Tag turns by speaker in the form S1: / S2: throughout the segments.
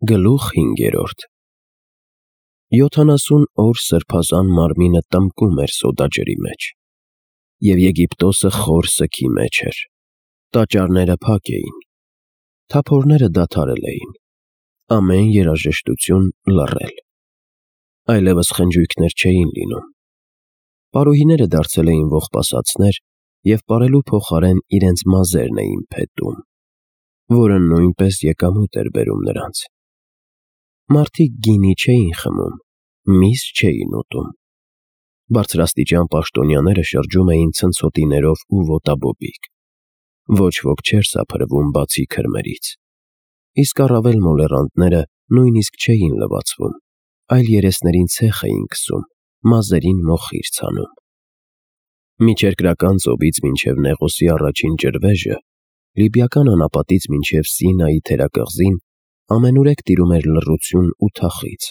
S1: Գլուխ 5. 70 օր սրբազան մարմինը տնկում էր սոդաջրի մեջ, և Եգիպտոսը խոր սգի մեջ էր, տաճարները փակ էին, թափորները դադարել էին, ամեն երաժշտություն լռել, այլևս խնջույքներ չէին լինում, պարուհիները դարձել էին ողբասացներ և պարելու փոխարեն իրենց մազերն էին փետում, որը նույնպես եկամուտ էր բերում նրանց. մարդիկ գինի չէին խմում, միս չէին ուտում, բարձրաստիճան պաշտոնյաները շրջում էին ցնցոտիներով ու ոտաբոբիկ, ոչ ոք չէր սափրվում բացի քրմերից, իսկ առավել մոլեռանդները նույնիսկ չէին լվացվում, այլ երեսներին ցեխ էին քսում, մազերին մոխիր ցանում։ Միջերկրական ծովից մինչև Նեղոսի առաջին ջրվեժը, Լիբիական անապատից մինչև Սինայի թերակղզին ամենուրեք տիրում էր լռություն ու թախիծ։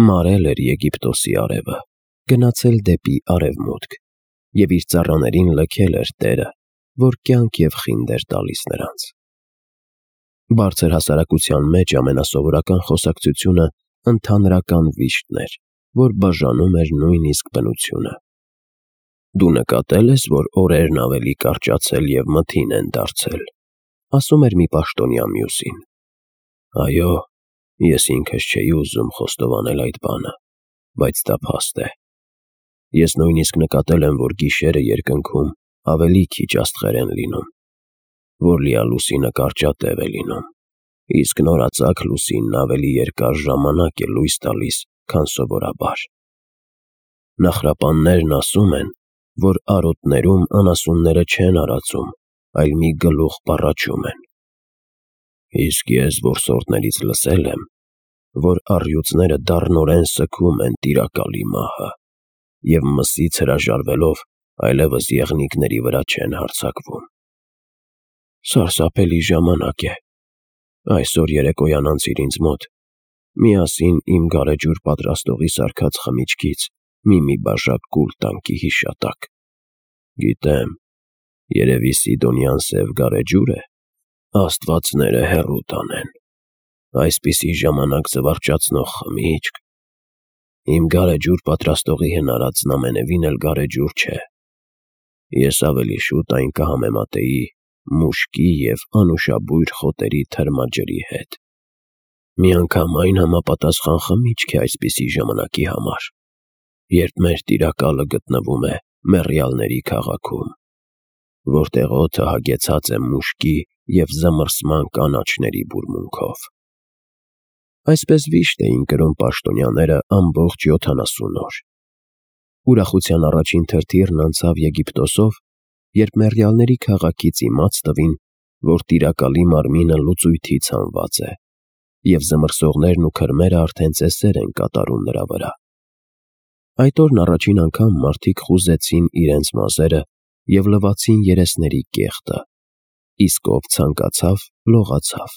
S1: Մարել էր Եգիպտոսի արևը, գնացել դեպի արևմուտք, և իր ծառաներին լքել էր Տերը, որ կյանք և խինդ էր տալիս նրանց։ Բարձր հասարակության մեջ ամենասովորական խոսակցությունը ընդհանրական վիշտն էր, որ բաժանում էր նույնիսկ բնությունը։ Դու նկատել ես, որ օրերն ավելի կարճացել և մթին են դարձել, ասում էր մի պաշտոնյա մյուսին։ Այո, ես ինքս չէի ուզում խոստովանել այդ բանը, բայց դա փաստ է։ Ես նույնիսկ նկատել եմ, որ գիշերը երկնքում ավելի քիչ աստղեր են լինում, որ լիալուսինը կարճատև է լինում, իսկ նորածագ լուսինն ավելի երկար ժամանակ է լույս տալիս, քան սովորաբար։ Նախրապաններն ասում են, որ արոտներում անասունները չեն արածում, այլ մի գլուխ պառաչում են։ Իսկ ես որսորդներից լսել եմ, որ առյուծները դառնորեն սգում են տիրակալի մահը, և մսից հրաժարվելով այլևս եղնիկների վրա չեն հարձակվում։ Սարսափելի ժամանակ է։ Այսօր երեկոյան անցիր ինձ մոտ, միասին իմ գարեջուր պատրաստողի սարքած խմիչքից մի բաժակ կուլ տանքի հիշատակ։ Գիտեմ, երևի Սիդոնյան սև գարեջուր է, աստվածները հեռու տանեն, այսպիսի ժամանակ զվարճացնող խմիչք։ Իմ գարեջուր պատրաստողի հնարածն ամենևին էլ գարեջուր չէ։ Ես ավելի շուտ այն կհամեմատեի մուշկի և անուշաբույր խոտերի թրմաջրի հետ։ Միանգամայն համապատասխան խմիչք է այսպիսի ժամանակի համար, երբ մեր տիրակալը գտնվում է մեռյալների քաղաքում, որտեղ օդը հագեցած է մուշկի և զմռսման կանաչների բուրմունքով։ Այսպես վիշտ էին կրում պաշտոնյաները ամբողջ 70 օր։ Ուրախության առաջին թրթիռն անցավ Եգիպտոսով, երբ մեռյալների քաղաքից իմաց տվին, որ տիրակալի մարմինը լուծույթի ցանված է, և զմռսողներն ու քրմերը արդեն ծեսեր են կատարում նրա վրա։ Այդ օրն առաջին անգամ մարդիկ խուզեցին իրենց մազերը և լվացին երեսների կեղտը, իսկ ով ցանկացավ, լողացավ,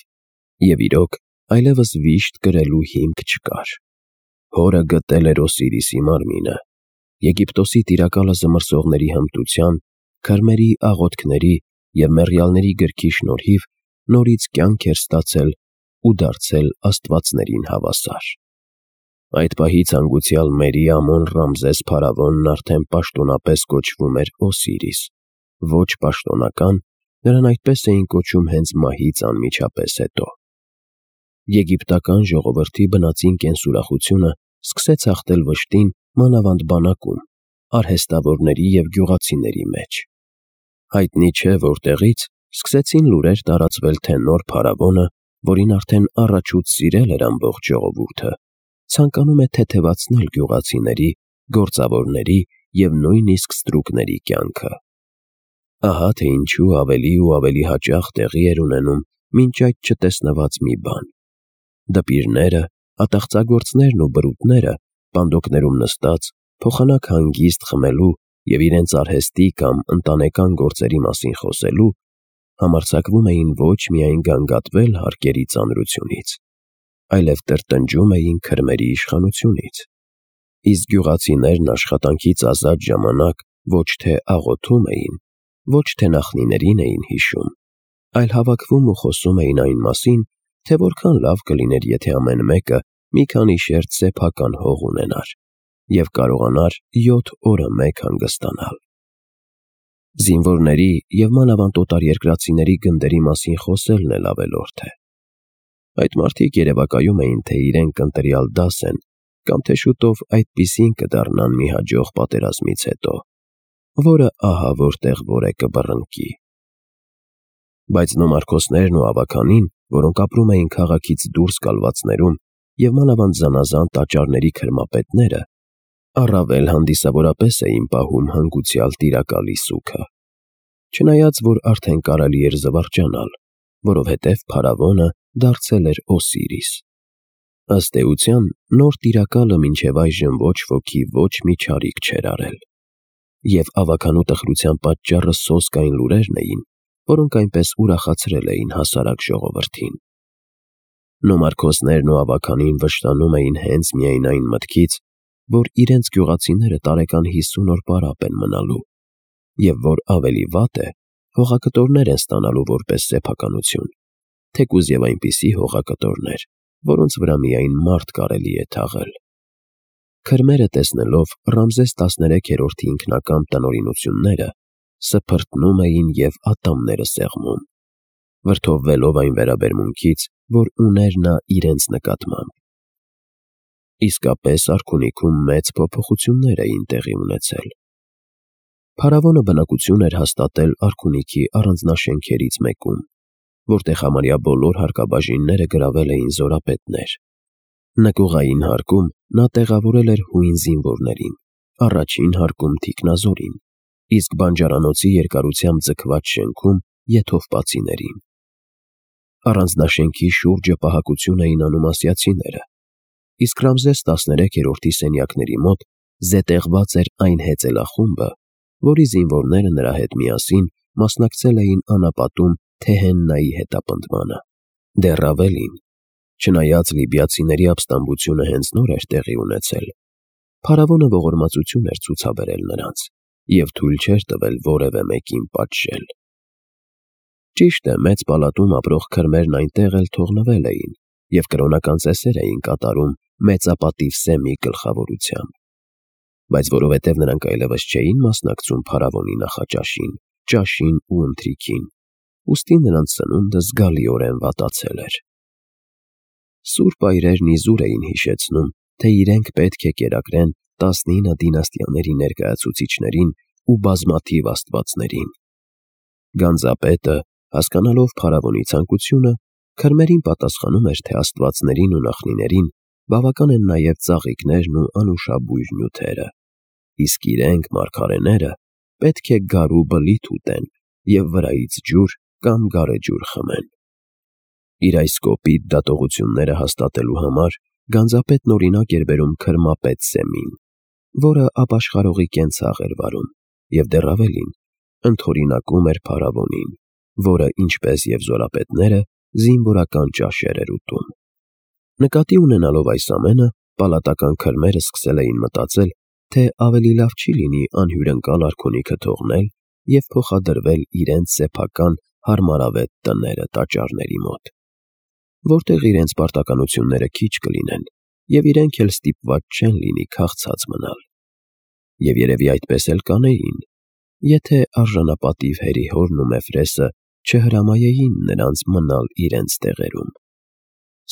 S1: և իրոք այլևս վիշտ կրելու հիմք չկար։ Հորը գտել էր Օսիրիսի մարմինը, Եգիպտոսի տիրակալը զմռսողների հմտության, քրմերի աղոթքների և մեռյալների գրքի շնորհիվ նորից կյանք էր ստացել ու դարձել աստվածներին հավասար։ Այդ պահից հանգուցյալ Մերի Ամոն-Ռամզես փարավոնն արդեն պաշտոնապես կոչվում էր Օսիրիս, ոչ պաշտոնական, նրան այդպես էին կոչում հենց մահից անմիջապես հետո։ Եգիպտական ժողովրդի բնածին կենսուրախությունը սկսեց հաղթել վշտին մանավանդ բանակում, արհեստավորների և գյուղացիների մեջ։ Հայտնի չէ որտեղից սկսեցին լուրեր տարածվել, թե նոր փարավոնը, որին արդեն առաջուց սիրել էր ամբողջ ժողովուրդը, ցանկանում է թեթևացնել գյուղացիների, գործավորների և նույնիսկ ստրուկների կյանքը։ Ահա թե ինչու ավելի ու ավելի հաճախ տեղի էր ունենում մինչ այդ չտեսնված մի բան։ Դպիրները, ատաղծագործներն ու բրուտները, պանդոկներում նստած, փոխանակ հանգիստ խմելու և իրենց արհեստի կամ ընտանեկան գործերի մասին խոսելու, համարձակվում էին ոչ միայն գանգատվել հարկերի ծանրությունից, այլև տրտնջում էին քրմերի իշխանությունից։ Իսկ գյուղացիներն աշխատանքից ազատ ժամանակ ոչ թե աղոթում էին, ոչ թե նախնիներին էին հիշում, այլ հավաքվում ու խոսում էին այն մասին, թե որքան լավ կլիներ, եթե ամեն մեկը մի քանի շերտ սեփական հող ունենար և կարողանար 7 օրը մեկ հանգստանալ։ Զինվորների և մանավանդ օտարերկրացիների գնդերի մասին խոսելն էլ ավելորդ է։ Այդ մարդիկ երևակայում էին, թե իրենք ընտրյալ դաս են, կամ թե շուտով այդպիսին կդառնան մի հաջող պատերազմից հետո, որը ահա որտեղ որ է կբռնկի։ Բայց նոմարքոսներն ու ավագանին, որոնք ապրում էին քաղաքից դուրս կալվածներում և մանավանդ զանազան տաճարների քրմապետները, առավել հանդիսավորապես էին պահում հանգուցյալ տիրակալի սուգը։ Չնայած, որ արդեն կարելի էր զվարճանալ, որովհետև փարավոնը դարձել էր Օսիրիս։ Ըստ էության, նոր տիրակալը մինչև այժմ ոչ ոքի ոչ մի չարիք չէր արել։ Եվ ավագանու տխրության պատճառը սոսկային լուրերն էին, որոնք այնպես ուրախացրել էին հասարակ ժողովրդին։ Նոմարքոսներն ու ավագանին վշտանում էին հենց միայն այն մտքից, որ իրենց գյուղացիները տարեկան 50 օր պարապ են մնալու, և որ ավելի վատ է, հողակտորներ են ստանալու որպես սեփականություն, թեկուզ և այնպիսի հողակտորներ, որոնց վրա միայն մարդ կարելի է թաղել։ Քրմերը տեսնելով Ռամզես 13-րդի ինքնակամ տնօրինությունները, սփրտնում էին և ատամները սեղմում, վրդովվելով այն վերաբերմունքից, որ ուներ նա իրենց նկատմամբ։ Իսկապես արքունիքում մեծ փոփոխություններ էին տեղի ունեցել։ Փարավոնը բնակություն էր հաստատել արքունիքի առանձնաշենքերից մեկում, որտեղ համարյա բոլոր հարկաբաժինները գրավել էին զորապետներ։ Նկուղային հարկում նա տեղավորել էր հույն զինվորներին, առաջին հարկում թիկնազորին, իսկ բանջարանոցի երկարությամբ ձգված շենքում եթովպացիներին։ Առանձնաշենքի շուրջը պահակություն էին անում ասիացիները, իսկ Ռամզես 13-րդի սենյակների մոտ զետեղված էր այն հեծելախումբը, որի զինվորները նրա հետ միասին մասնակցել էին անապատում Թեհեննայի հետապնդմանը։ Դեռ ավելին, չնայած լիբիացիների ապստամբությունը հենց նոր էր տեղի ունեցել, փարավոնը ողորմածություն էր ցուցաբերել նրանց և թույլ չէր տվել որևէ մեկին պատժել։ Ճիշտ է, մեծ պալատում ապրող քրմերն այնտեղ էլ թողնվել էին և կրոնական ծեսեր էին կատարում մեծապատիվ Սեմի գլխավորությամբ։ Բայց որովհետև նրանք այլևս չէին մասնակցում փարավոնի նախաճաշին, ճաշին ու ընթրիքին, ուստի նրանց սնունդը զգալիորեն վատացել էր։ Սուրբ այրերն իզուր էին հիշեցնում, թե իրենք պետք է կերակրեն 19 դինաստիաների ներկայացուցիչներին ու բազմաթիվ աստվածներին։ Գանձապետը, հասկանալով փարավոնի ցանկությունը, քրմերին պատասխանում էր, թե աստվածներին ու նախնիներին բավական են նաև ծաղիկներն ու անուշաբույր նյութերը, իսկ իրենք, մարգարեները, պետք է գարու բլիթ ուտեն և վրայից ջուր կամ գարեջուր խմեն։ Իր այս կոպիտ դատողությունները հաստատելու համար գանձապետն օրինակ էր բերում քրմապետ Սեմին, որը ապաշխարողի կենցաղ էր վարում և դեռ ավելին, ընդօրինակում էր փարավոնին, որը, ինչպես և զորապետները, զինվորական ճաշեր էր ուտում։ Նկատի ունենալով այս ամենը, պալատական քրմերը սկսել էին մտածել, թե ավելի լավ չի լինի անհյուրընկալ արքունիքը թողնել և փոխադրվել իրենց սեփական հարմարավետ տները տաճարների մոտ, որտեղ իրենց պարտականությունները քիչ կլինեն և իրենք էլ ստիպված չեն լինի քաղցած մնալ։ Եվ երևի այդպես էլ կանեին, եթե արժանապատիվ Հերիհորն ու Մեֆրեսը չհրամայեին նրանց մնալ իրենց տեղերում։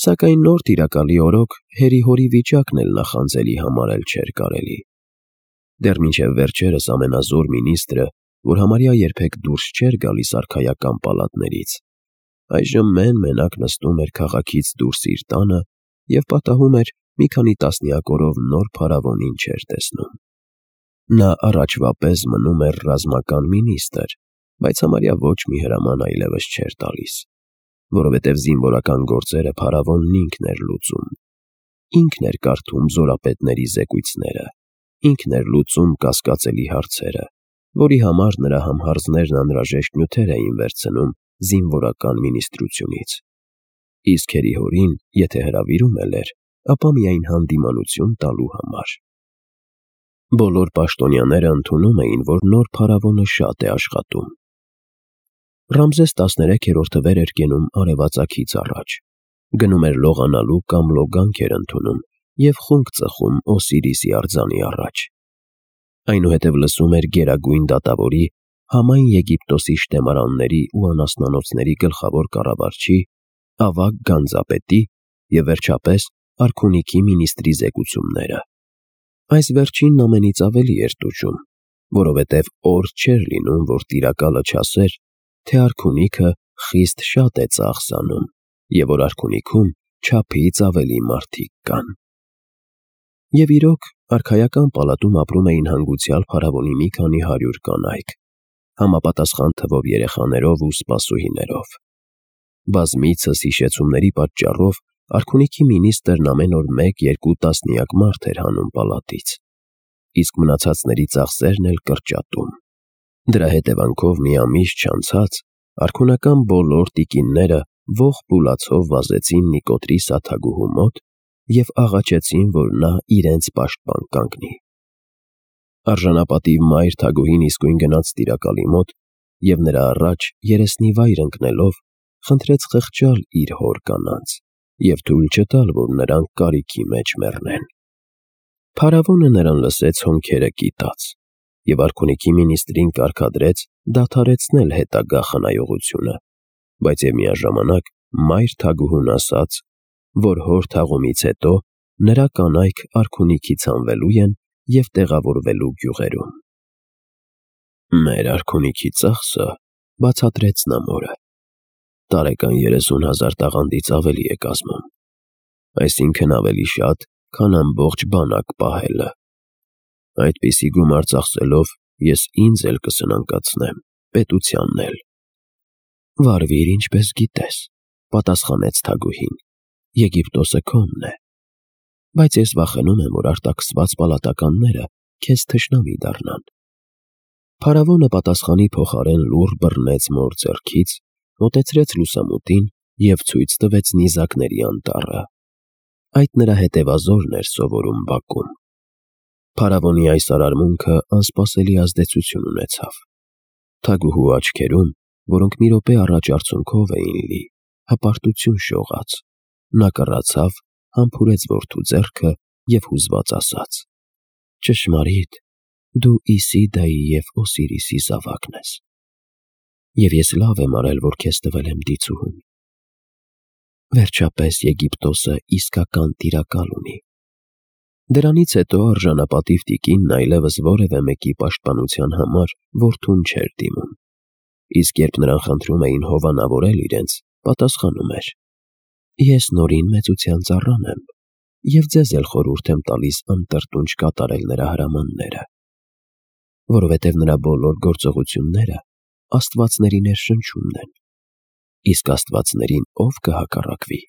S1: Սակայն նոր տիրակալի օրոք Հերիհորի վիճակն էլ նախանձելի համարել չէր կարելի։ Դեռ մինչև վերջերս ամենազոր մինիստրը, որ համարյա երբեք դուրս չէր գալիս արքայական պալատներից, այժմ մեն-մենակ նստում էր քաղաքից դուրս իր տանը և պատահում էր մի քանի տասնյակ օրով նոր փարավոնին չէր տեսնում։ Նա առաջվա պես մնում էր ռազմական մինիստրը, բայց համարյա ոչ մի հրաման այլևս չէր տալիս, որովհետև զինվորական գործերը փարավոնն ինքն էր լուծում։ Ինքն էր կարդում զորապետների զեկույցները, ինքն էր լուծում կասկածելի հարցերը, որի համար նրա համհարձներն անհրաժեշտ նյութեր էին վերցնում զինվորական մինիստրությունից։ Իսկ Հերիհորին, եթե հրավիրում էր, ապա միայն հանդիմանություն տալու համար։ Բոլոր պաշտոնյաները ընդունում էին, որ նոր փարավոնը շատ է աշխատում։ Ռամզես 13-րդը վեր էր կենում արևածագից առաջ, Գնում էր լողանալու կամ լոգանք էր ընդունում և խունկ ծխում Օսիրիսի արձանի առաջ։ Այնուհետև լսում էր Գերագույն դատավորի, համայն Եգիպտոսի շտեմարանների ու անասնանոցների գլխավոր կառավարչի, ավագ գանձապետի և վերջապես արքունիքի մինիստրի զեկուցումները։ Այս վերջինն ամենից ավելի էր տուժում, որովհետև օր չէր լինում, որ տիրակալը չասեր, թե արքունիքը խիստ շատ է ծախսանում և որ արքունիքում չափից ավելի մարդիկ կան։ Եվ իրոք, արքայական պալատում ապրում էին հանգուցյալ փարավոնի մի քանի 100 կանայք, համապատասխան թվով երեխաներով ու սպասուհիներով։ Բազմիցս հիշեցումների պատճառով արքունիքի մինիստրն ամեն օր 1-2 տասնյակ մարդ էր հանում պալատից, իսկ մնացածների ծախսերն էլ կրճատում։ Դրա հետևանքով մի ամիս չանցած արքունական բոլոր տիկինները ողջ բուլացով վազեցին Նիկոտրի սաթագուհու մոտ և աղաչեցին, որ նա իրենց պաշտպան կանգնի։ Արժանապատիվ մայր թագուհին իսկույն գնաց տիրակալի մոտ և նրա առաջ երեսնիվայր ընկնելով խնդրեց խղճալ իր հոր կանանց և թույլ չտալ, որ նրանք կարիքի մեջ մեռնեն։ Փարավոնը նրան լսեց հոնքերը կիտած և արքունիքի մինիստրին կարգադրեց դադարեցնել հետագա խնայողությունը, բայց և միաժամանակ մայր թագուհուն ասաց, որ հոր թաղումից հետո նրա կանայք արքունիքից հանվելու են և տեղավորվելու գյուղերում։ «Մեր արքունիքի ծախսը,» բացատրեց նա մորը, «տարեկան 30,000 տաղանդից ավելի է կազմում, այսինքն ավելի շատ, քան ամբողջ բանակ պահելը։ Այդպիսի գումար ծախսելով ես ինձ էլ կսնանկացնեմ, պետությանն էլ»։ «Վարվիր ինչպես գիտես», պատասխանեց թագուհին, «Եգիպտոսը քոնն է, բայց ես վախենում եմ, որ արտաքսված պալատականները քեզ թշնամի դառնան»։ Փարավոնը պատասխանի փոխարեն լուռ բռնեց մոր ձեռքից, մոտեցրեց լուսամուտին և ցույց տվեց նիզակների անտառը։ Այդ նրա հետևազորն էր սովորում բակում։ Փարավոնի այս արարմունքը անսպասելի ազդեցություն ունեցավ։ Թագուհու աչքերում, որոնք մի րոպե առաջ արցունքով էին լի, հպարտություն շողաց։ Նա կռացավ, համբուրեց որդու ձեռքը և հուզված ասաց. «Ճշմարիտ, դու Իսիդայի և Օսիրիսի զավակն ես, և ես լավ եմ արել, որ քեզ տվել եմ դիցուհուն։ Վերջապես Եգիպտոսը իսկական տիրակալ ունի»։ Դրանից հետո արժանապատիվ տիկինն այլևս որևէ մեկի պաշտպանության համար որդուն չէր դիմում, իսկ երբ նրան խնդրում էին հովանավորել իրենց, պատասխանում էր. «Ես Նորին մեծության ծառան եմ և ձեզ էլ խորհուրդ եմ տալիս անտրտունջ կատարել նրա հրամանները, որովհետև նրա բոլոր գործողությունները աստվածների ներշնչումն են, իսկ աստվածներին ով կհակառակվի»։